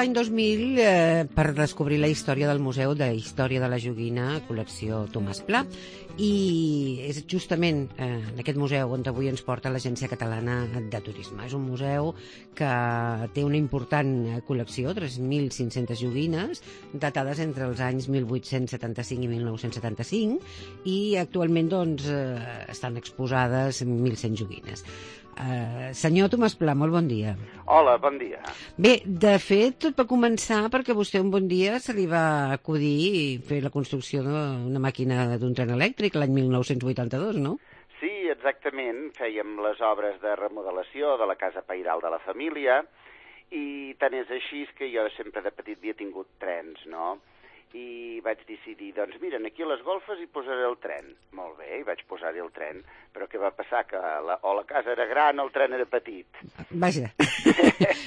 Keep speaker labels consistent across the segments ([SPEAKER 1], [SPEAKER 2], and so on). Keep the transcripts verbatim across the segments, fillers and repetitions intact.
[SPEAKER 1] l'any dos mil eh, per descobrir la història del Museu de Història de la Joguina, col·lecció Tomàs Pla, i és justament eh, en aquest museu on avui ens porta l'Agència Catalana de Turisme. És un museu que té una important col·lecció, tres mil cinc-centes joguines, datades entre els anys mil vuit-cents setanta-cinc i mil nou-cents setanta-cinc, i actualment doncs, eh, estan exposades mil cent joguines. Uh, senyor Tomàs Pla, molt bon dia.
[SPEAKER 2] Hola, bon dia.
[SPEAKER 1] Bé, de fet, tot va començar perquè vostè un bon dia se li va acudir fer la construcció d'una màquina d'un tren elèctric l'any mil nou-cents vuitanta-dos, no?
[SPEAKER 2] Sí, exactament. Fèiem les obres de remodelació de la casa pairal de la família i tant és així que jo sempre de petit havia tingut trens, no? I vaig decidir, doncs mira, aquí a les golfes hi posaré el tren. Molt bé, hi vaig posar-hi el tren, però què va passar? Que la, o la casa era gran o el tren era petit.
[SPEAKER 1] Vaja,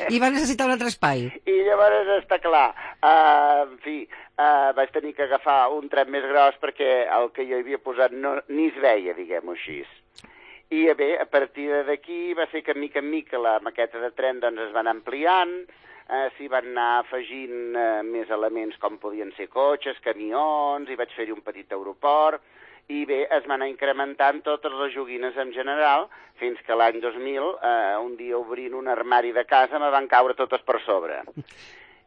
[SPEAKER 1] i va necessitar un altre espai.
[SPEAKER 2] I llavors està clar, uh, en fi, uh, vaig tenir que agafar un tren més gros perquè el que jo havia posat no, ni es veia, diguem-ho així. I bé, a partir d'aquí va ser que mica en mica la maqueta de tren doncs, es van ampliant, Uh, s'hi van anar afegint uh, més elements com podien ser cotxes, camions, i vaig fer-hi un petit aeroport, i bé, es van anar incrementant totes les joguines en general, fins que l'any dos mil, uh, un dia obrint un armari de casa, me van caure totes per sobre.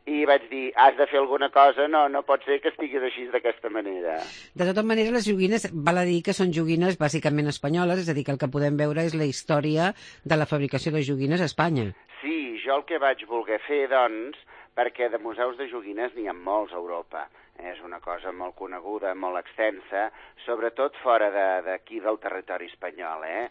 [SPEAKER 2] I vaig dir, has de fer alguna cosa, no, no pot ser que estiguis així d'aquesta manera.
[SPEAKER 1] De tota manera, les joguines, val a dir que són joguines bàsicament espanyoles, és a dir, que el que podem veure és la història de la fabricació de joguines a Espanya.
[SPEAKER 2] Sí, jo el que vaig voler fer, doncs, perquè de museus de joguines n'hi ha molts a Europa. És una cosa molt coneguda, molt extensa, sobretot fora d'aquí de, del territori espanyol. Eh?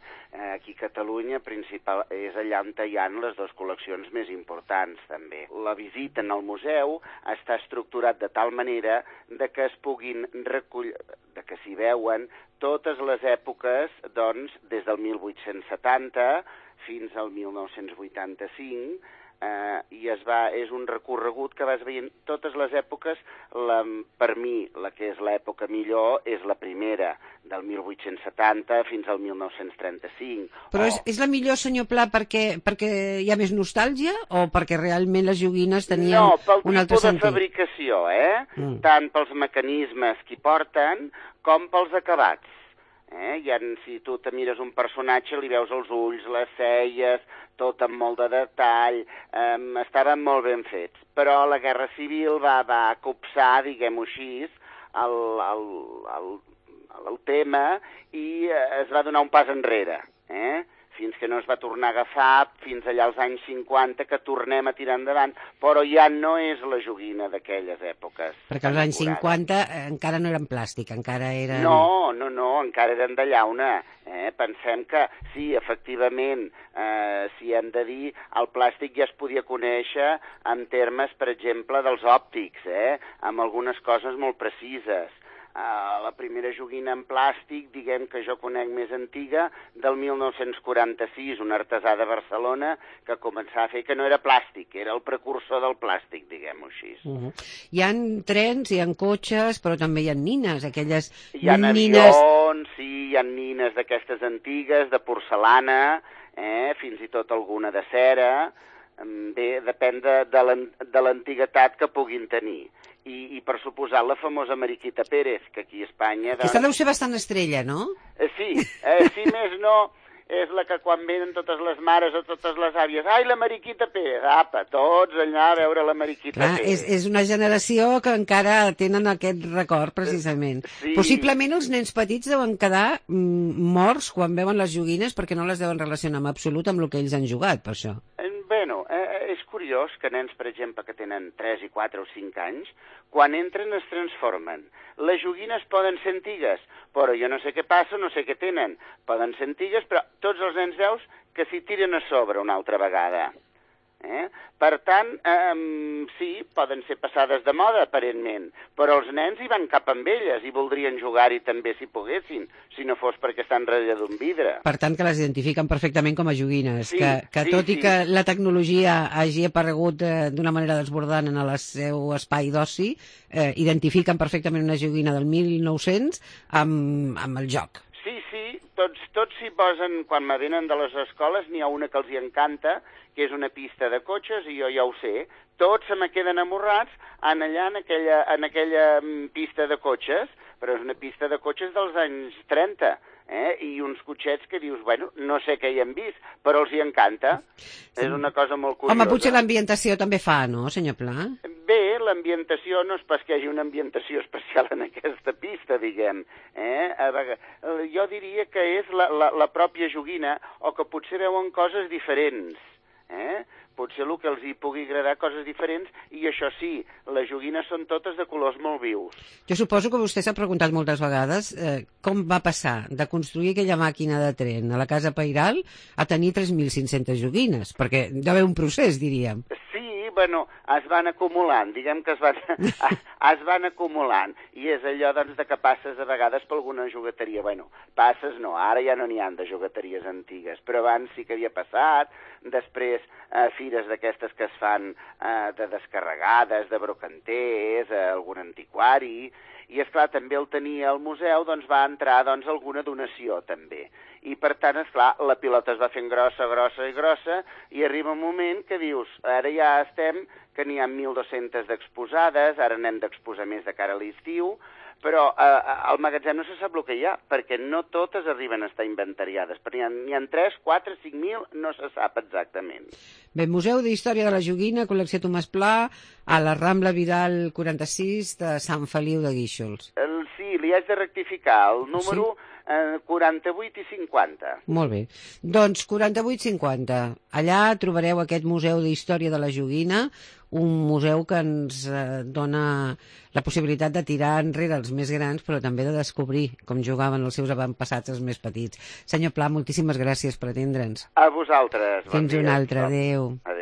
[SPEAKER 2] Aquí a Catalunya principal, és allà on hi ha les dues col·leccions més importants, també. La visita en el museu està estructurat de tal manera de que es puguin recollir, de que s'hi veuen totes les èpoques, doncs, des del mil vuit-cents setanta fins al mil nou-cents vuitanta-cinc, Uh, i es va, és un recorregut que vas veient totes les èpoques. La, per mi, la que és l'època millor és la primera, del mil vuit-cents setanta fins al mil nou-cents trenta-cinc.
[SPEAKER 1] Però
[SPEAKER 2] Oh.
[SPEAKER 1] és, és la millor, senyor Pla, perquè, perquè hi ha més nostàlgia o perquè realment les joguines tenien
[SPEAKER 2] no, pel
[SPEAKER 1] un altre
[SPEAKER 2] tipus de
[SPEAKER 1] sentit?
[SPEAKER 2] fabricació, eh?
[SPEAKER 1] Mm.
[SPEAKER 2] Tant pels mecanismes que hi porten com pels acabats. Eh? I en, si tu te mires un personatge, li veus els ulls, les celles, tot amb molt de detall, eh, estaven molt ben fets. Però la Guerra Civil va, va copsar, diguem-ho així, el, el, el, el tema i eh, es va donar un pas enrere, eh? Fins que no es va tornar a agafar, fins allà als anys cinquanta, que tornem a tirar endavant, però ja no és la joguina d'aquelles èpoques.
[SPEAKER 1] Perquè als anys cinquanta eh, encara no eren plàstic, encara eren...
[SPEAKER 2] No, no, no, encara eren de llauna. Eh? Pensem que, sí, efectivament, eh, si hem de dir, el plàstic ja es podia conèixer en termes, per exemple, dels òptics, eh? Amb algunes coses molt precises. Uh, la primera joguina en plàstic, diguem que jo conec més antiga, del mil nou-cents quaranta-sis, un artesà de Barcelona que començava a fer que no era plàstic, era el precursor del plàstic, diguem-ho així.
[SPEAKER 1] Uh -huh. Hi ha trens, hi ha cotxes, però també hi ha nines, aquelles
[SPEAKER 2] hi ha
[SPEAKER 1] nines...
[SPEAKER 2] avions, sí, hi ha nines d'aquestes antigues, de porcelana, eh, fins i tot alguna de cera. Bé, depèn de l'antiguitat que puguin tenir. I, i per suposar la famosa Mariquita Pérez, que aquí a Espanya... Doncs...
[SPEAKER 1] Aquesta deu ser bastant estrella, no?
[SPEAKER 2] Eh, sí, eh, si més no, és la que quan venen totes les mares o totes les àvies, ai, la Mariquita Pérez, apa, tots allà a veure la Mariquita
[SPEAKER 1] Clar,
[SPEAKER 2] Pérez.
[SPEAKER 1] és, és una generació que encara tenen aquest record, precisament.
[SPEAKER 2] Sí.
[SPEAKER 1] Possiblement els nens petits deuen quedar mm, morts quan veuen les joguines perquè no les deuen relacionar en absolut amb el que ells han jugat, per això.
[SPEAKER 2] Bueno, eh, és curiós que nens, per exemple, que tenen tres i quatre o cinc anys, quan entren es transformen. Les joguines poden ser antigues, però jo no sé què passa, no sé què tenen. Poden ser antigues, però tots els nens veus que s'hi tiren a sobre una altra vegada. Eh? Per tant, eh, sí, poden ser passades de moda, aparentment, però els nens hi van cap amb elles i voldrien jugar-hi també si poguessin, si no fos perquè estan darrere d'un vidre.
[SPEAKER 1] Per tant, que les identifiquen perfectament com a joguines,
[SPEAKER 2] sí,
[SPEAKER 1] que, que
[SPEAKER 2] sí,
[SPEAKER 1] tot
[SPEAKER 2] sí.
[SPEAKER 1] i que la tecnologia hagi aparegut eh, d'una manera desbordant en el seu espai d'oci, eh, identifiquen perfectament una joguina del mil nou-cents amb, amb el joc.
[SPEAKER 2] Sí, sí, tots tots s'hi posen, quan me venen de les escoles, n'hi ha una que els hi encanta, que és una pista de cotxes, i jo ja ho sé. Tots se me queden amorrats en allà, en aquella, en aquella pista de cotxes, però és una pista de cotxes dels anys trenta, eh? I uns cotxets que dius, bueno, no sé què hi han vist, però els hi encanta. Sí. És una cosa molt curiosa.
[SPEAKER 1] Home, potser l'ambientació també fa, no, senyor Pla?
[SPEAKER 2] Bé, l'ambientació no és pas que hi hagi una ambientació especial en aquesta pista, diguem. Eh? Jo diria que és la, la, la pròpia joguina, o que potser veuen coses diferents. Eh? Potser el que els hi pugui agradar coses diferents, i això sí, les joguines són totes de colors molt vius.
[SPEAKER 1] Jo suposo que vostè s'ha preguntat moltes vegades eh, com va passar de construir aquella màquina de tren a la Casa Pairal a tenir tres mil cinc-centes joguines, perquè hi va haver un procés, diríem.
[SPEAKER 2] Sí, bueno, es van acumulant, diguem que es van, es van acumulant, i és allò doncs, de que passes a vegades per alguna jugueteria. Bueno, passes no, ara ja no n'hi ha de jugueteries antigues, però abans sí que havia passat, després eh, fires d'aquestes que es fan eh, de descarregades, de brocanters, eh, algun antiquari, i esclar, també el tenia al museu, doncs va entrar doncs, alguna donació també. I per tant, esclar, la pilota es va fent grossa, grossa i grossa, i arriba un moment que dius, ara ja estem, que n'hi ha mil dos-centes d'exposades, ara n'hem d'exposar més de cara a l'estiu, però eh, al magatzem no se sap el que hi ha, perquè no totes arriben a estar inventariades, perquè n'hi ha tres, quatre, cinc mil, no se sap exactament.
[SPEAKER 1] Bé, Museu d'Història de la Joguina, col·lecció Tomàs Pla, a la Rambla Vidal quaranta-sis de Sant Feliu de Guíxols.
[SPEAKER 2] El, sí, li haig de rectificar, el número sí? eh, quaranta-vuit i cinquanta.
[SPEAKER 1] Molt bé. Doncs quaranta-vuit cinquanta. Allà trobareu aquest Museu d'Història de la Joguina, un museu que ens eh, dona la possibilitat de tirar enrere els més grans, però també de descobrir com jugaven els seus avantpassats els més petits. Senyor Pla, moltíssimes gràcies per atendre'ns.
[SPEAKER 2] A vosaltres.
[SPEAKER 1] Fins
[SPEAKER 2] bon
[SPEAKER 1] una altra. Adéu.
[SPEAKER 2] Adéu.